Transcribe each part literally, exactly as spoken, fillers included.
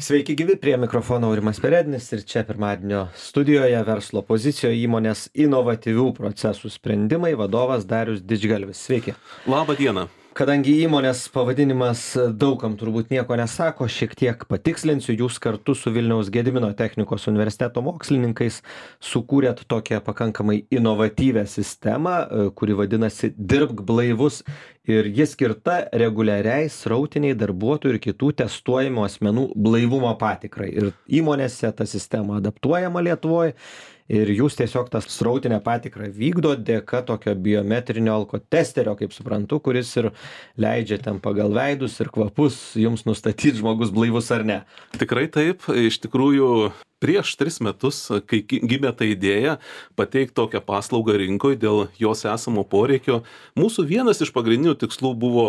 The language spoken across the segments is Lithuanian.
Sveiki gyvi, prie mikrofono Aurimas Perednis ir čia pirmadienio studijoje verslo pozicijoje įmonės inovatyvių procesų sprendimai vadovas Darius Didžgalvis. Sveiki. Labą dieną. Kadangi įmonės pavadinimas daugam turbūt nieko nesako, šiek tiek patikslinsiu, jūs kartu su Vilniaus Gedimino technikos universiteto mokslininkais sukūrėt tokią pakankamai inovatyvią sistemą, kuri vadinasi Dirbk blaivus ir ji skirta reguliariai srautiniai darbuotojų ir kitų testuojamų asmenų blaivumo patikrai. Ir įmonėse ta sistema adaptuojama Lietuvoje. Ir jūs tiesiog tą srautinę patikrą vykdo dėka tokio biometrinio alkotesterio, kaip suprantu, kuris ir leidžia ten pagal veidus ir kvapus jums nustatyti, žmogus blaivus ar ne. Tikrai taip, iš tikrųjų prieš tris metus, kai gimė ta idėja pateikti tokią paslaugą rinkoje dėl jos esamo poreikio, mūsų vienas iš pagrindinių tikslų buvo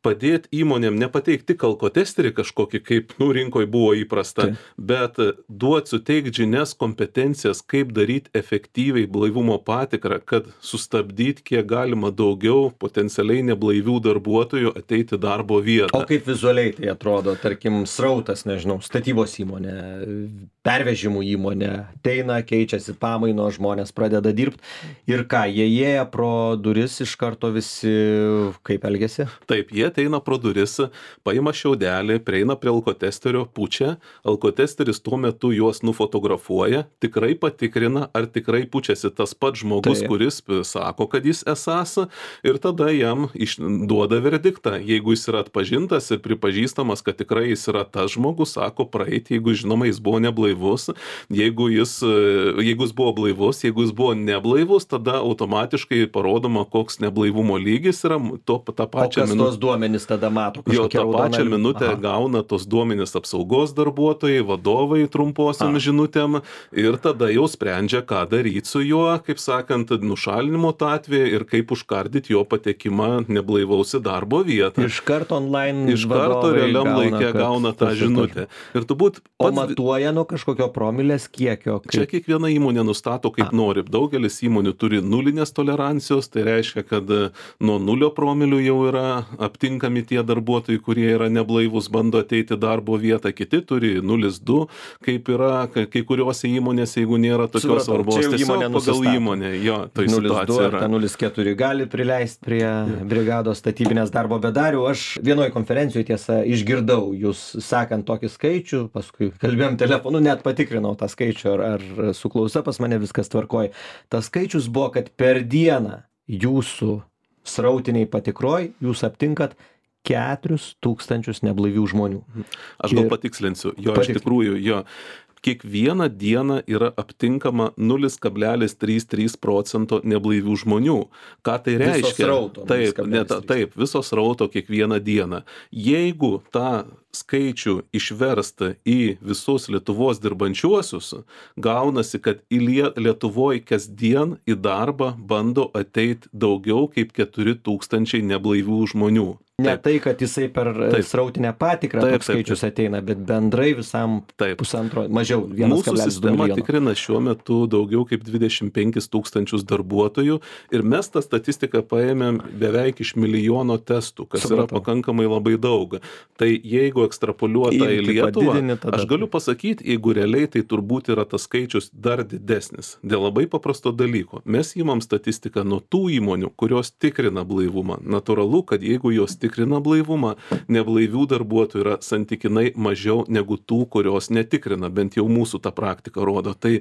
padėti įmonėm nepateikti tik alkotesterį kažkokį, kaip nu, rinkoje buvo įprasta, tai. bet duoti suteikti žinias, kompetencijas, kaip daryti efektyviai blaivumo patikrą, kad sustabdyti kiek galima daugiau potencialiai neblaivių darbuotojų ateiti darbo vietą. O kaip vizualiai tai atrodo, tarkim, srautas, nežinau, statybos įmonė, pervežimų įmonė, ateina, keičiasi pamaino, žmonės pradeda dirbti ir ką, jie įėję pro duris iš karto visi kaip elgiasi? Taip, jie ateina pro duris, paima šiaudelį, prieina prie alkotesterio, pučia, alkotesteris tuo metu juos nufotografuoja, tikrai patikrina, ar tikrai pučiasi tas pats žmogus, tai. kuris sako, kad jis esas, ir tada jam duoda verdiktą. Jeigu jis yra atpažintas ir pripažįstamas, kad tikrai jis yra tas žmogus, sako praeiti, jeigu žinoma jis buvo neblaivus, jeigu jis, jeigu jis buvo blaivus, jeigu jis buvo neblaivus, tada automatiškai parodoma, koks neblaivumo lygis yra, to, tą pačią minutę. Tada mato jo, tą pačią raudoną... minutę Aha. gauna tos duomenys apsaugos darbuotojai, vadovai trumposiom Aha. žinutėm ir tada jau sprendžia, ką daryti su juo, kaip sakant, nušalinimo tą atvejį ir kaip užkardyti jo patekimą neblaivaus į darbo vietą. Iš karto online Iš karto realiam gauna, laikė gauna tą žinutę. Ir turbūt pats... O matuoja nuo kažkokio promilės kiekio? Kaip... Čia kiekviena įmonė nustato kaip A. nori. Daugelis įmonių turi nulinės tolerancijos, tai reiškia, kad nuo nulio promilių jau yra aptinkami tie darbuotojai, kurie yra neblaivus, bando ateiti darbo vietą, kiti turi nulis du, kaip yra kai kuriuose įmonėse, jeigu nėra tokios svarbos, tiesiog pagal įmonę, jo, tai situacija yra. nulis keturi gali prileisti prie brigados statybinės darbo bedarių. Aš vienoje konferencijoje tiesa išgirdau jūs sakant tokį skaičių, paskui kalbėjom telefonu, net patikrinau tą skaičių, ar, ar su klausa pas mane viskas tvarkoja. Tas skaičius buvo, kad per dieną jūsų srautiniai patikroj jūs aptinkat keturis tūkstančius neblaivių žmonių. Aš gal patikslinsiu. Jo, iš tikrųjų, jo. Kiekvieną dieną yra aptinkama nulis kablelis trys trys procento neblaivių žmonių. Ką tai reiškia? Viso srauto. Taip, ne, taip, viso srauto kiekvieną dieną. Jeigu tą skaičių išversta į visus Lietuvos dirbančiuosius, gaunasi, kad į Lietuvoje kasdien į darbą bando ateiti daugiau kaip keturi tūkstančiai neblaivių žmonių. Ne taip. Tai, kad jisai per taip. srautinę patikrą taip, toks skaičius taip, taip. ateina, bet bendrai visam taip. pusantro, mažiau vienas kablelis du milijono. Mūsų sistema tikrina šiuo metu daugiau kaip dvidešimt penkis tūkstančius darbuotojų ir mes tą statistiką paėmėm beveik iš milijono testų, kas Supratau. yra pakankamai labai daug. Tai jeigu ekstrapoliuota į Lietuvą, aš galiu pasakyti, jeigu realiai tai turbūt yra tas skaičius dar didesnis. Dėl labai paprasto dalyko. Mes įmam statistiką nuo tų įmonių, kurios tikrina blaivumą. Natūralu, kad jeigu jos tikrina blaivumą, neblaivių darbuotojų yra santykinai mažiau negu tų, kurios netikrina, bent jau mūsų tą praktiką rodo. Tai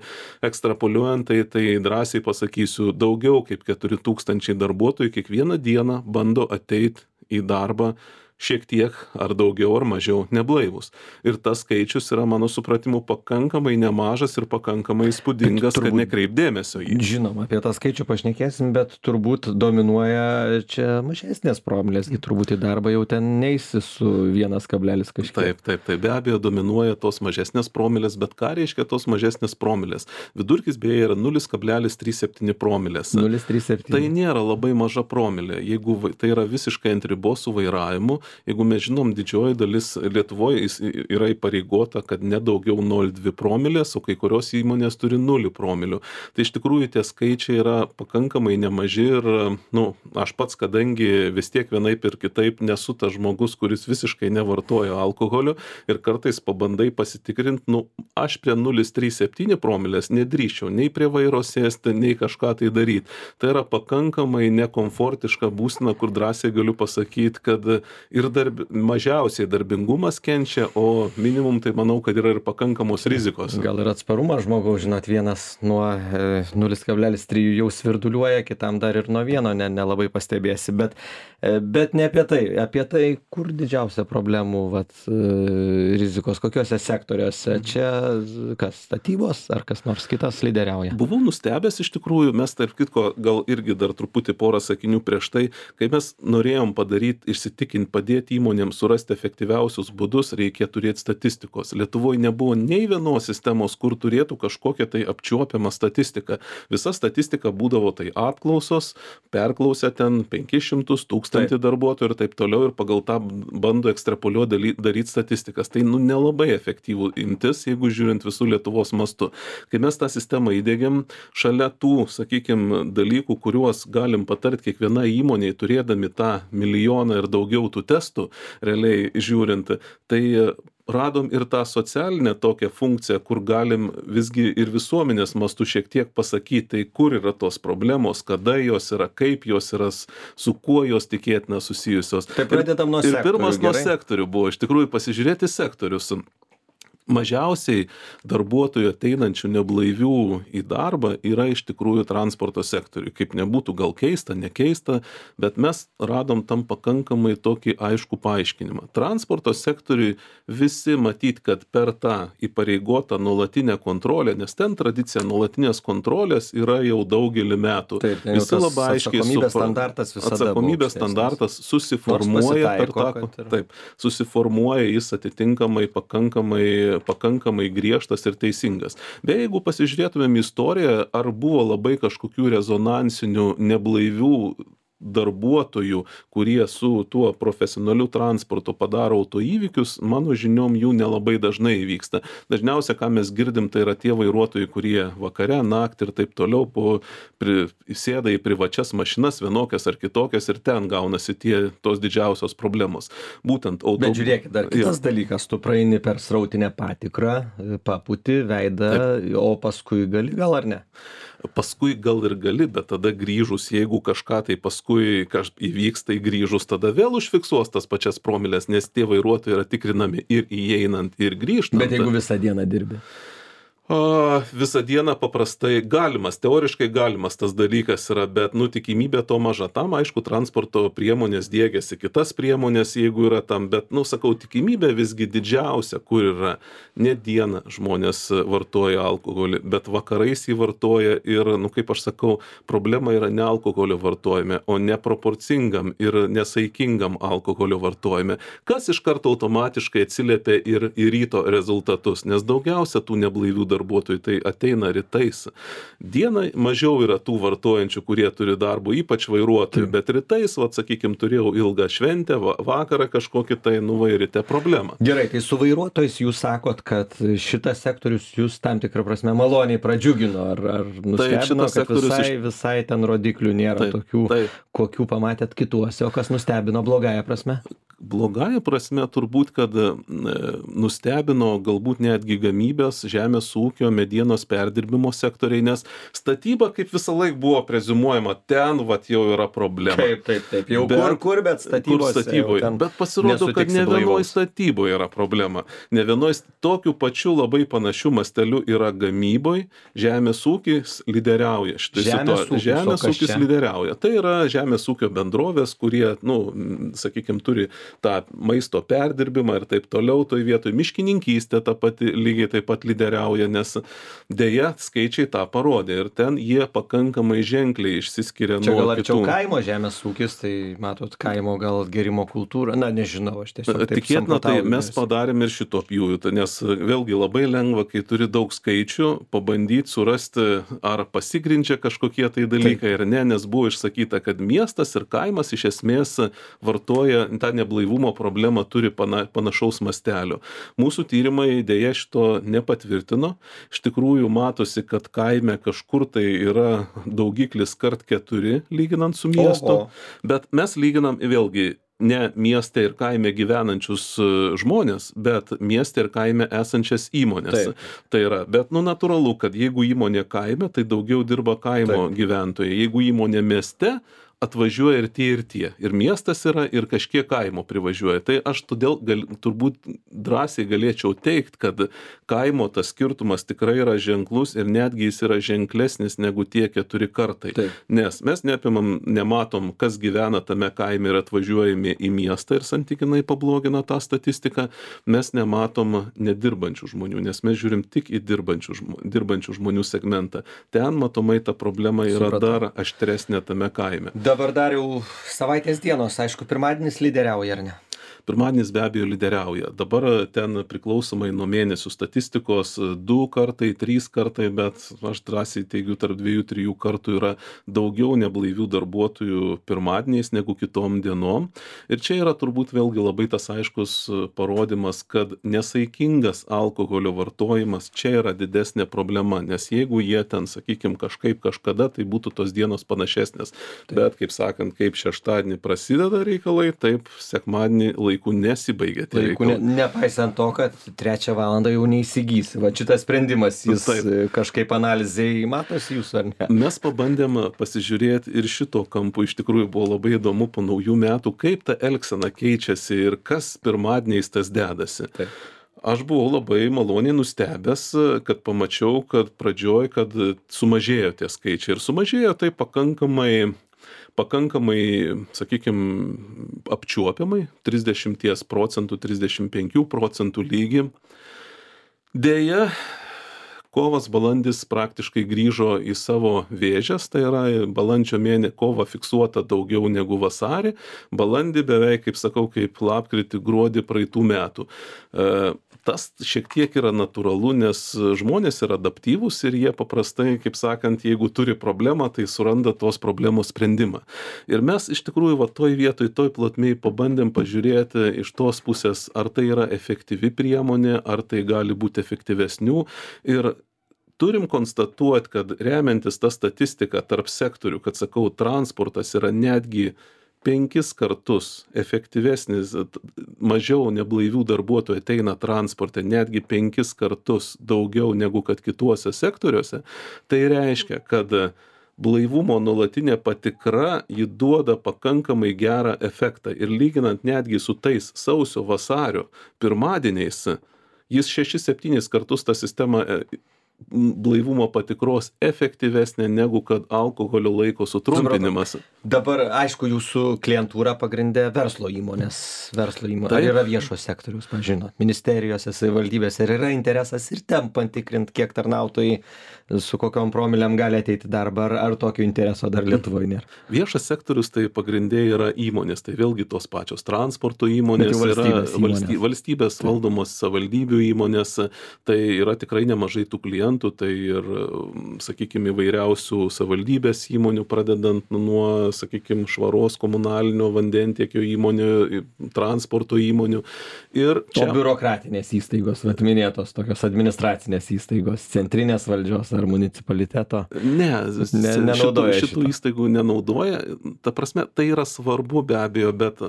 ekstrapoliuojant, tai, tai drąsiai pasakysiu, daugiau kaip keturi tūkstančiai darbuotojų kiekvieną dieną bando ateiti į darbą šiek tiek ar daugiau ar mažiau neblaivus. Ir tas skaičius yra mano supratimu pakankamai nemažas ir pakankamai įspūdingas, turbūt, kad nekreip dėmesio į. Žinoma, apie tą skaičių pašnekėsim, bet turbūt dominuoja čia mažesnės promilės, turbūt į darbą jau ten neisi su vienas kablelis kažkiek. Taip, taip, taip, be abejo dominuoja tos mažesnės promilės, bet ką reiškia tos mažesnės promilės? Vidurkis beje yra nulis kablelis trys septyni promilės. nulis kablelis trys septyni. Tai nėra labai maža promilė. Jeigu tai yra visiškai ant ribos su vairavimu, Jeigu mes žinom, didžioji dalis Lietuvoje yra įpareigota, kad nedaugiau nol komleksas dvi promilės, o kai kurios įmonės turi nulį promilių. Tai iš tikrųjų tie skaičiai yra pakankamai nemaži ir, nu, aš pats, kadangi vis tiek vienaip ir kitaip nesu tas žmogus, kuris visiškai nevartoja alkoholio ir kartais pabandai pasitikrinti, nu, aš prie nulis komleksas trys septyni promilės nedrįščiau nei prie vairo sėsti, nei kažką tai daryti. Tai yra pakankamai nekomfortiška būsena, kur drąsiai galiu pasakyti, kad ir darb, mažiausiai darbingumas kenčia, o minimum tai manau, kad yra ir pakankamos rizikos. Gal ir atsparumas žmogaus, žinot, vienas nuo e, nulis kablelis trys jau svirduliuoja, kitam dar ir nuo vieno ne, nelabai pastebėsi, bet, e, bet ne apie tai, apie tai, kur didžiausia problemų vat, e, rizikos, kokiuose sektoriuose, čia kas, statybos ar kas nors kitas lyderiauja? Buvau nustebęs iš tikrųjų, mes tarp kitko gal irgi dar truputį porą sakinių prieš tai, kai mes norėjom padaryti, išsitikinti, padėti įmonėms surasti efektyviausius būdus, reikia turėti statistikos. Lietuvoje nebuvo nei vienos sistemos, kur turėtų kažkokią tai apčiuopiamą statistiką. Visa statistika būdavo tai apklausos, perklausę ten penkis šimtus tūkstantį darbuotojų ir taip toliau ir pagal tą bando ekstrapoliuoti daryti statistikas. Tai nu nelabai efektyvų imtis, jeigu žiūrint visų Lietuvos mastu. Kai mes tą sistemą įdėgiam, šalia tų, sakykime, dalykų, kuriuos galim patarti kiekviena įmonė, turėdami tą milijoną ir daugiau tų testų, realiai žiūrint, tai radom ir tą socialinę tokią funkciją, kur galim visgi ir visuomenės mastu šiek tiek pasakyti, tai kur yra tos problemos, kada jos yra, kaip jos yra, su kuo jos tikėtina susijusios. Tai pradedam nuo sektorių. Ir pirmas nuo gerai? sektorių buvo, iš tikrųjų, pasižiūrėti sektorius. Mažiausiai darbuotojų ateinančių neblaivių į darbą yra iš tikrųjų transporto sektoriui. Kaip nebūtų gal keista, nekeista, bet mes radom tam pakankamai tokį aiškų paaiškinimą. Transporto sektoriui visi matyt, kad per tą įpareigotą nuolatinę kontrolę, nes ten tradicija nuolatinės kontrolės yra jau daugelį metų. Taip, visi labai aiškiai atsakomybės supra- standartas visada atsakomybės buvo standartas susiformuoja per tą, kad ir- taip, susiformuoja jis atitinkamai pakankamai pakankamai griežtas ir teisingas. Beje, jeigu pasižiūrėtumėm istoriją, ar buvo labai kažkokių rezonansinių neblaivių darbuotojų, kurie su tuo profesionaliu transportu padaro autoįvykius, mano žiniom jų nelabai dažnai įvyksta. Dažniausia, ką mes girdim, tai yra tie vairuotojai, kurie vakare, naktį ir taip toliau po, pri, sėda į privačias mašinas, vienokias ar kitokias ir ten gaunasi tie, tos didžiausios problemos. Būtent auto... Bet žiūrėkit, dar kitas ja. dalykas, tu praeini per srautinę patikrą, paputi veidą, taip. O paskui gali gal ar ne? Paskui gal ir gali, bet tada grįžus, jeigu kažką tai paskui kaž... įvyks, tai grįžus tada vėl užfiksuos tas pačias promilės, nes tie vairuotojai yra tikrinami ir įeinant, ir grįžtant. Bet jeigu visą dieną dirbi? O, visą dieną paprastai galimas, teoriškai galimas tas dalykas yra, bet nu tikimybė to maža. Tam, aišku, transporto priemonės diegiasi kitas priemonės, jeigu yra tam, bet, nu, sakau, tikimybė visgi didžiausia, kur yra ne dieną žmonės vartoja alkoholį, bet vakarais jį vartoja ir, nu, kaip aš sakau, problema yra ne alkoholio vartojime, o neproporcingam ir nesaikingam alkoholio vartojime, kas iš karto automatiškai atsiliepia ir į ryto rezultatus, nes daugiausia tų neblaivių darbuotojų tai ateina rytais. Dieną mažiau yra tų vartojančių, kurie turi darbo, ypač vairuotojų, bet rytais, vat, sakykime, turėjau ilgą šventę, vakarą kažkokį tai, nu, va, ryte problemą. Gerai, tai su vairuotojais jūs sakot, kad šitas sektorius jūs tam tikrą prasme maloniai pradžiugino, ar, ar nustebino, kad visai, iš... visai ten rodiklių nėra taip, tokių, taip. Kokių pamatėt kituose, o kas nustebino blogąją prasme? Blogąją prasme turbūt, kad nustebino galbūt netgi gamybės, žemės ūkio, medienos perdirbimo sektoriai, nes statyba kaip visą laiką buvo preziumuojama, ten vat jau yra problema. Taip, taip, taip, jau bet, kur, kur, bet statybos. Kur statyboje. Bet pasirodo, kad ne vienoj statyboje yra problema. Ne vienoj tokiu pačiu labai panašiu masteliu yra gamyboje, žemės ūkis lyderiauja. Žemės ūkis, žemės ūkis lyderiauja. Tai yra žemės ūkio bendrovės, kurie, nu, sakykime, turi tą maisto perdirbimą ir taip toliau, toj vietoj miškininkystė ta pati lygiai taip pat lyderiauja, nes deja skaičiai tą parodė ir ten jie pakankamai ženkliai išsiskiria Čia nuo gal arčiau kitų. kaimo žemės ūkis, tai matot, kaimo gal gerimo kultūra, na nežinau, aš tiesiog taip Tikėtina, tai samprotauju, mes nes- padarėm ir šito pjūvį, tai nes vėlgi labai lengva, kai turi daug skaičių, pabandyti surasti, ar pasigrindžia kažkokie tai dalykai ar ne, nes buvo išsakyta, kad miestas ir kaimas iš esmės vartoja tą neblaivumo problemą, turi pana, panašaus mastelio. Mūsų tyrimai dėja šito nepatvirtino. Iš tikrųjų matosi, kad kaime kažkur tai yra daugiklis kart keturi lyginant su miestu, Oho. bet mes lyginam vėlgi ne mieste ir kaime gyvenančius e, žmonės, bet mieste ir kaime esančias įmonės. Taip. Tai yra, bet nu natūralu, kad jeigu įmonė kaime, tai daugiau dirba kaimo Taip. gyventojai. Jeigu įmonė mieste, atvažiuoja ir tie ir tie. Ir miestas yra, ir kažkiek kaimo privažiuoja. Tai aš todėl gal, turbūt drąsiai galėčiau teikti, kad kaimo tas skirtumas tikrai yra ženklus ir netgi jis yra ženklesnis negu tie keturi kartai. Taip. Nes mes neapimam, nematom, kas gyvena tame kaime ir atvažiuojame į miestą ir santykinai pablogina tą statistiką. Mes nematom nedirbančių žmonių, nes mes žiūrim tik į dirbančių, žmo, dirbančių žmonių segmentą. Ten matomai ta problema yra Supratau. dar aštresnė tame kaime. Dabar dar jau savaitės dienos, aišku, pirmadienis lyderiauja, ar ne? Pirmadienis be abejo lyderiauja. Dabar ten priklausomai nuo mėnesių statistikos du kartai, trys kartai, bet aš drąsiai teigiu, tarp dviejų, trijų kartų yra daugiau neblaivių darbuotojų pirmadieniais negu kitom dienom. Ir čia yra turbūt vėlgi labai tas aiškus parodymas, kad nesaikingas alkoholio vartojimas čia yra didesnė problema, nes jeigu jie ten, sakykime, kažkaip kažkada, tai būtų tos dienos panašesnės. Taip. Bet, kaip sakant, kaip šeštadienį prasideda reikalai, taip sekmadienį laikų nesibaigia tie Laiku, ne, reikalai. nepaisant to, kad trečią valandą jau neįsigysi. Va šitas sprendimas, jis Taip. e, kažkaip analizai matosi jūsų, ar ne? Mes pabandėm pasižiūrėti ir šito kampu, iš tikrųjų buvo labai įdomu po naujų metų, kaip ta elgsena keičiasi ir kas pirmadieniais tas dedasi. Taip. Aš buvau labai maloniai nustebęs, kad pamačiau, kad pradžioj, kad sumažėjo tie skaičiai. Ir sumažėjo tai pakankamai pakankamai, sakykime, apčiuopiamai, trisdešimt procentų, trisdešimt penkių procentų lygį. Deja, kovas, balandis praktiškai grįžo į savo vėžes, tai yra balandžio mėnesį kova fiksuota daugiau negu vasarį, balandį beveik, kaip sakau, kaip lapkritį, gruodį praeitų metų. E, tas šiek tiek yra natūralu, nes žmonės yra adaptyvūs ir jie paprastai, kaip sakant, jeigu turi problemą, tai suranda tos problemos sprendimą. Ir mes iš tikrųjų va toj vietoj, toj plotmėj pabandėm pažiūrėti iš tos pusės, ar tai yra efektyvi priemonė, ar tai gali būti efektyvesnių. Ir turim konstatuoti, kad remiantis tą statistiką tarp sektorių, kad sakau, transportas yra netgi penkis kartus efektyvesnis, mažiau neblaivių darbuotojų ateina transporte, netgi penkis kartus daugiau negu kad kituose sektoriuose, tai reiškia, kad blaivumo nuolatinė patikra, ji duoda pakankamai gerą efektą. Ir lyginant netgi su tais sausio vasario pirmadieniais, jis šešis septynis kartus tą sistemą blaivumo patikros efektyvesnė negu kad alkoholio laiko sutrumpinimas. Dabar, aišku, jūsų klientūra pagrindė verslo įmonės. Verslo įmonės. Ar Taip. yra viešo sektoriaus, pažinot, ministerijose, savivaldybėse, ar yra interesas ir ten patikrinti, kiek tarnautojai su kokiom promilėm gali ateiti į darbą, ar, ar tokio intereso dar Lietuvoje nėra? Viešas sektorius tai pagrindė yra įmonės, tai vėlgi tos pačios transporto įmonės, Bet jau yra valstybės įmonės. valsty, valstybės valdomos savivaldybių įmonės, tai yra tikrai nemažai tų klientų, tai ir, sakykime, įvairiausių savivaldybės įmonių, pradedant nuo, sakykime, švaros komunalinio vandentiekio įmonių, transporto įmonių. Ir O biurokratinės įstaigos, vat minėtos, tokios administracinės įstaigos, centrinės valdžios ar municipaliteto? Ne, Ne- nenaudoja šitų, šitų šito. įstaigų nenaudoja. Ta prasme, tai yra svarbu be abejo, bet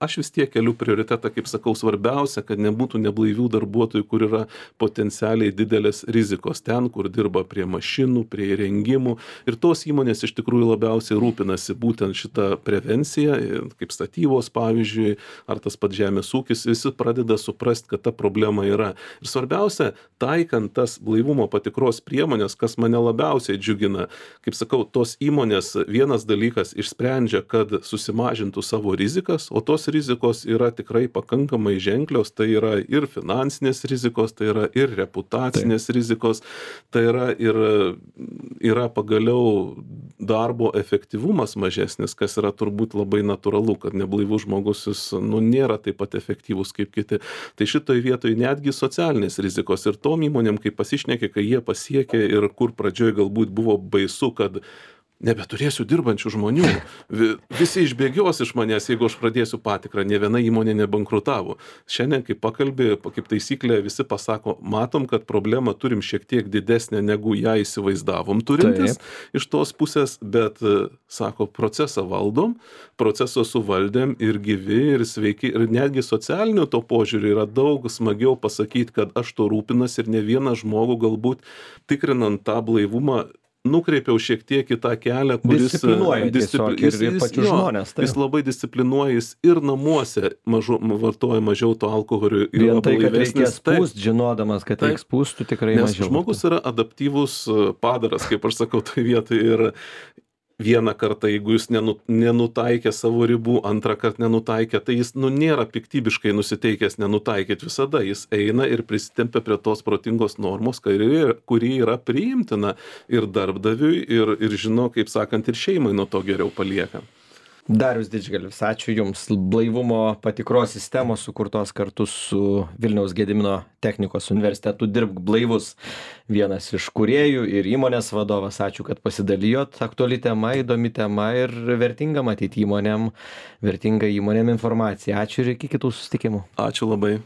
aš vis tiek keliu prioritetą, kaip sakau, svarbiausia, kad nebūtų neblaivių darbuotojų, kur yra potencialiai didelės rizikos. Ten, kur dirba prie mašinų, prie įrengimų. Ir tos įmonės iš tikrųjų labiausiai rūpinasi būtent šitą prevenciją, kaip statybos pavyzdžiui, ar tas pats žemės ūkis, visi pradeda suprasti, kad ta problema yra. Ir svarbiausia, taikant tas blaivumo patikros priemonės, kas mane labiausiai džiugina, kaip sakau, tos įmonės vienas dalykas išsprendžia, kad susimažintų savo rizikas, o tos rizikos yra tikrai pakankamai ženklios, tai yra ir finansinės rizikos, tai yra ir reputacinės Taip. rizikos, Tai yra ir yra pagaliau darbo efektyvumas mažesnis, kas yra turbūt labai natūralu, kad neblaivus žmogus jis nu, nėra taip pat efektyvus kaip kiti. Tai šitoj vietoj netgi socialinės rizikos ir tom įmonėm, kai pasišnekė, kai jie pasiekė ir kur pradžioj galbūt buvo baisu, kad nebeturėsiu dirbančių žmonių. Visi išbėgios iš manęs, jeigu aš pradėsiu patikrą. Ne viena įmonė nebankrutavo. Šiandien, kai pakalbė, kaip taisyklė, visi pasako, matom, kad problemą turim šiek tiek didesnę, negu ją įsivaizdavom turintis Taip. Iš tos pusės, bet, sako, procesą valdom, procesą suvaldėm ir gyvi, ir sveiki, ir netgi socialinių to požiūrį yra daug smagiau pasakyti, kad aš to rūpinas ir ne vieną žmogų galbūt tikrinant tą blaivumą nukreipiau šiek tiek į tą kelią, kuris disciplinuoja tiesiog ir, ir pačius žmonės. Jis labai disciplinuoja, jis ir namuose mažu, vartoja mažiau to alkoholio. Vien tai, kad reikės pūst, žinodamas, kad reiks pūstų tikrai Nes mažiau. Žmogus yra adaptyvus padaras, kaip aš sakau, tai vietai ir vieną kartą, jeigu jis nenu, nenutaikė savo ribų, antrą kartą nenutaikė, tai jis nu, nėra piktybiškai nusiteikęs nenutaikyti visada. Jis eina ir prisitempia prie tos protingos normos, kuri, kuri yra priimtina ir darbdaviui, ir, ir žino, kaip sakant, ir šeimai nuo to geriau palieka. Darius Didžgalvis, ačiū Jums. Blaivumo patikros sistemos sukurtos kartu su Vilniaus Gedimino technikos universitetu Dirbk blaivus. Vienas iš kūrėjų ir įmonės vadovas. Ačiū, kad pasidalijot. Aktuali tema, įdomi tema ir vertinga matyti įmonėm, vertinga įmonėm informacija. Ačiū ir iki kitų susitikimų. Ačiū labai.